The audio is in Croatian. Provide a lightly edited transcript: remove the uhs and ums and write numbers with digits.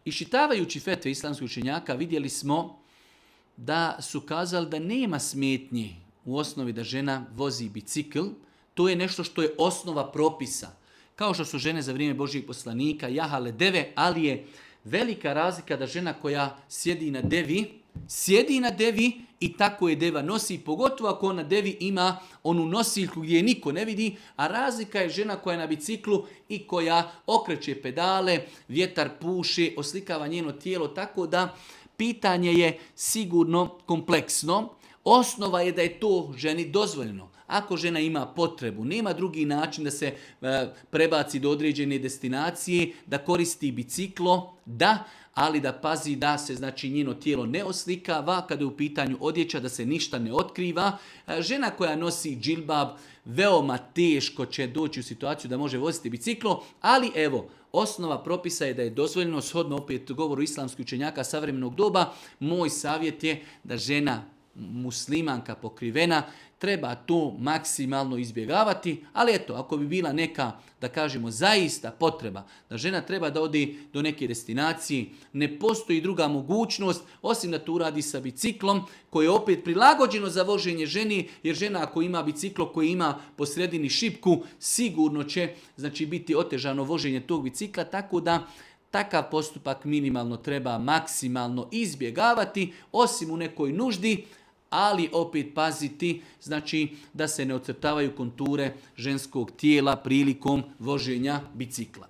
Iščitavajući fetve islamskih učenjaka vidjeli smo da su kazali da nema smetnji u osnovi da žena vozi bicikl. To je nešto što je osnova propisa. Kao što su žene za vrijeme Božjih poslanika jahale deve, ali je velika razlika da žena koja sjedi na devi i tako je deva nosi, pogotovo ako na devi ima onu nosiljku gdje je niko ne vidi, a razlika je žena koja je na biciklu i koja okreće pedale, vjetar puše, oslikava njeno tijelo, tako da pitanje je sigurno kompleksno. Osnova je da je to ženi dozvoljeno. Ako žena ima potrebu, nema drugi način da se prebaci do određene destinacije, da koristi biciklo, da, ali da pazi da se znači njeno tijelo ne oslikava, kada je u pitanju odjeća da se ništa ne otkriva. Žena koja nosi džilbab veoma teško će doći u situaciju da može voziti biciklo, ali evo, osnova propisa je da je dozvoljeno, shodno opet govoru islamskih učenjaka savremenog doba. Moj savjet je da žena muslimanka pokrivena treba to maksimalno izbjegavati, ali eto, ako bi bila neka, da kažemo, zaista potreba da žena treba da ode do neke destinacije, ne postoji druga mogućnost osim da to uradi sa biciklom koje je opet prilagođeno za voženje ženi, jer žena ako ima biciklo koji ima po sredini šipku, sigurno će znači biti otežano voženje tog bicikla, tako da takav postupak minimalno treba maksimalno izbjegavati, osim u nekoj nuždi, ali opet paziti znači da se ne ocrtavaju konture ženskog tijela prilikom voženja bicikla.